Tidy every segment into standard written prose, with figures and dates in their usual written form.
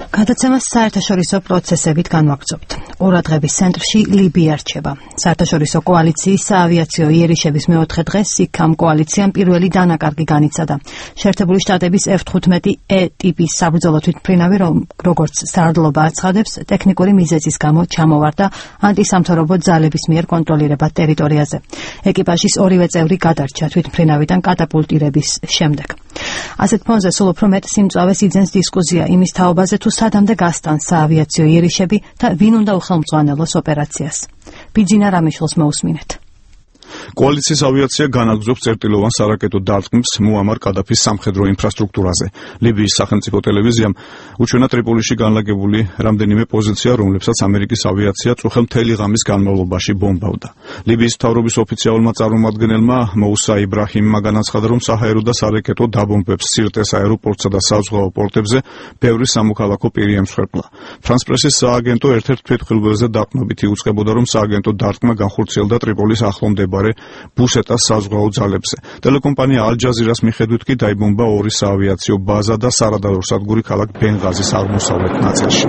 გადაცემას საერთაშორისო პროცესებით განვაგრძობთ. ყურადღების ცენტრში ლიბია რჩება. საერთაშორისო კოალიციის საავიაციო იერიშების მეოთხე დღეს იქამ კოალიციამ პირველი დანაკარგი განიცადა. შეერთებული შტატების F-15E ტიპის საბრძოლო თვითმფრინავი, როგორც სარდლობა აცხადებს, ტექნიკური მიზეზის გამო ჩამოვარდა ანტისამთავრობო ძალების მიერ კონტროლირებად ტერიტორიაზე. ეკიპაჟის ორივე წევრი გადარჩა თვითმფრინავიდან კატაპულტირების შემდეგ. ასეთ ფონზე სულ უფრო მეტ სიმწვავეს იძენს დისკუსია იმის თაობაზე, თუ სადამდე გასტანს საავიაციო იერიშები და ვინ უნდა უხელმძღვანელოს ოპერაციას. ბიძინა რამიშვილს მოусმინეთ. კოალიციის ავიაცია განაგრძობს წერტილოვან სარაკეტო დარტყმებს მუამარ კადაფის სამხედრო ინფრასტრუქტურაზე. ლიბიის სახელმწიფო ტელევიზიამ უჩვენა ტრიპოლიში განლაგებული რამდენიმე პოზიცია, რომლებსაც ამერიკის ავიაცია წუხელ მთელი ღამის განმავლობაში ბომბავდა. ლიბიის მთავრობის ოფიციალურმა წარმომადგენელმა მოუსა იბრაჰიმმა განაცხადა, რომ საჰაერო და სარაკეტო დაბომბვებს სირტეს აეროპორტსა და საზღვაო პორტებზე ბევრი სამოქალაქო პირი ემსხვერპლა. ფრანს პრესის სააგენტო ერთ-ერთ თვითმხილველზე დაყრდნობით იუწყებოდა, რომ სააგენტო დარტყმა განხორციელდა ტრიპოლის ახლომდებარე ბუსეტას საზღვაო ძალებზე. ტელეკომპანია ალ-ჯაზირას მიხედვით კი დაიბომბა ორი საავიაციო ბაზა და სარადარო სადგური ქალაქ ბენღაზის აღმოსავლეთ ნაწილში.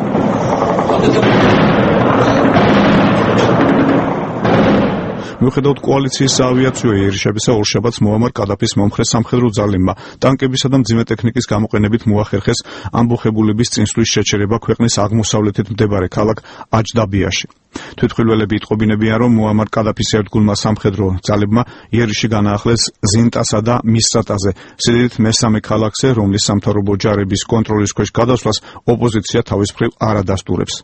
მიუხედავად კოალიციის საავიაციო იერიშებისა, ორშაბათს მუამარ კადაფის მომხრე სამხედრო ძალებმა ტანკებისა და მძიმე ტექნიკის გამოყენებით მოახერხეს ამბოხებულების წინსვლის შეჩერება ქვეყნის აღმოსავლეთით მდებარე ქალაქ აჯდაბიაში. თვითმხილველები იტყობინებიან, რომ მუამარ კადაფის ერთგულმა სამხედრო ძალებმა იერიში განაახლეს ზინტასა და მისრატაზე, სიდიდით მესამე ქალაქზე, რომლის სამთავრობო ჯარების კონტროლის ქვეშ გადასვლას ოპოზიცია თავის მხრივ არ ადასტურებს.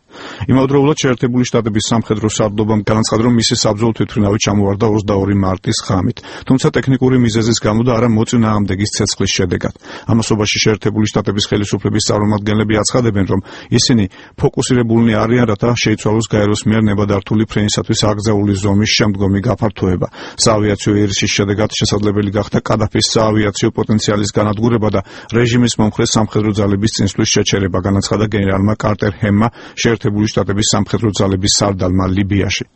იმავდროულად შეერთებული შტატების სამხედრო სარდლობამ განაცხადა, რომ მისი საბრძოლო თვითმფრინავი ჩამოვარდა 22 მარტის ღამით, თუმცა ტექნიკური მიზეზის გამო და არა მოწინააღმდეგის ცეცხლის შედეგად. ამასობაში შეერთებული შტატების ხელისუფლების წარმომადგენლები აცხადებენ, რომ ისინი ფოკუსირებულნი არიან, რათა შეიცვალოს გაეროს მიერ ნებადართული ფრენისათვის აკრძალული ზომის შემდგომი გაფართოება. საავიაციო იერიშის შედეგად შესაძლებელი გახდა კადაფის საავიაციო პოტენციალის განადგურება და რეჟიმის მომხრე სამხედრო ძალების წინსვლის შეჩერება, განაცხადა გენერალმა კარტერ ჰემმა, შეერთებული შტატების სამხედრო ძალების სარდალმა ლიბიაში.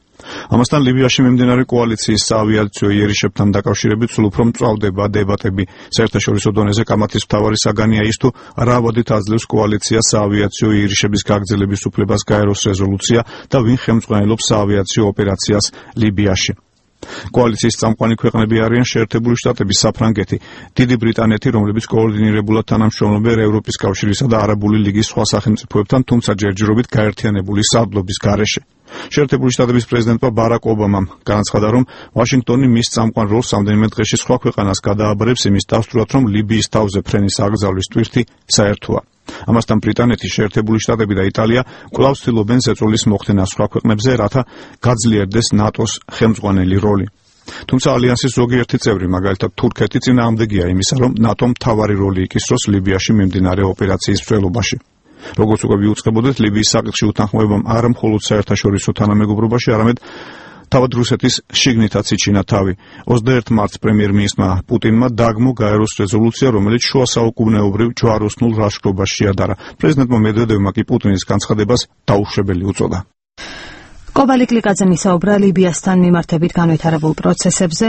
ამასთან ლიბიაში მიმდინარე კოალიციის საავიაციო იერიშებთან დაკავშირებით სულ უფრო მწვავდება დებატები. საერთაშორისო დონეზე კამათის მთავარი საგანია ის, თუ რა ავადით აძლევს კოალიციას საავიაციო იერიშების გაგრძელების უფლებას გაეროს რეზოლუცია და ვინ ხელმძღვანელობს საავიაციო ოპერაციას ლიბიაში. კოალიციის წამყვანი ქვეყნები არიან შეერთებული შტატები, საფრანგეთი, დიდი ბრიტანეთი, რომლებიც კოორდინირებულად თანამშრომლობენ ევროპის კავშირისა და არაბული ლიგის სხვა სახელმწიფოებთან, თუმცა ჯერჯერობით გაერთიანებული სარდლობის გარეშე. შეერთებული შტატების პრეზიდენტმა ბარაკ ობამამ განაცხადა, რომ ვაშინგტონი მის წამყვან როლს რამდენიმე დღეში სხვა ქვეყანას გადააბარებს იმის დასტურად, რომ ლიბიის თავზე ფრენის აკრძალვის ტვირთი საერთოა. ამასთან ბრიტანეთი, შეერთებული შტატები და იტალია კვლავ ცდილობენ ზეწოლის მოხდენას სხვა ქვეყნებზე, რათა გაძლიერდეს ნატოს ხელმძღვანელი როლი. თუმცა ალიანსის ზოგიერთი წევრი, მაგალითად თურქეთი, წინააღმდეგია იმისა, რომ ნატომ მთავარი როლი იკისროს ლიბიაში მიმდინარე ოპერაციის მსვლელობაში. როგორც უკვე ვიუწყებოდეთ, ლიბიის საკითხში უთანხმოებამ არა მხოლოდ საერთაშორისო თანამეგობრობაში, არამედ თავად რუსეთის შიგნითაც იჩინა თავი. 21 მარტს პრემიერ-მინისტრმა პუტინმა დაგმო გაეროს რეზოლუცია, რომელიც შუა საუკუნეობრივ ჯვაროსნულ ლაშქრობას შეადარა. პრეზიდენტმა მედვედევმა კი პუტინის განცხადებას დაუშვებელი უწოდა. კობალი კლიკაძე მისაუბრა ლიბიასთან მიმართებით განვითარებულ პროცესებზე.